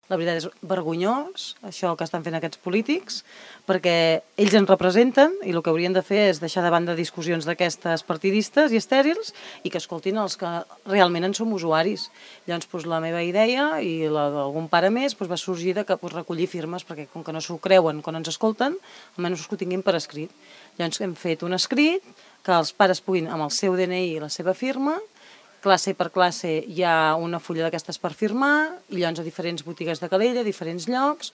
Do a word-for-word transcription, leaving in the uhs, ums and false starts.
La veritat és vergonyós, això que estan fent aquests polítics, perquè ells ens representen i el que haurien de fer és deixar de banda discussions d'aquestes partidistes i estèrils i que escoltin els que realment en som usuaris. Llavors, doncs, la meva idea i la d'algun pare més doncs, va sorgir de que, doncs, recollir firmes, perquè com que no s'ho creuen quan ens escolten, almenys que ho tinguin per escrit. Llavors hem fet un escrit que els pares puguin, amb el seu D N I i la seva firma, classe per classe hi ha una fulla d'aquestes per firmar, i llavors a diferents botigues de Calella, a diferents llocs,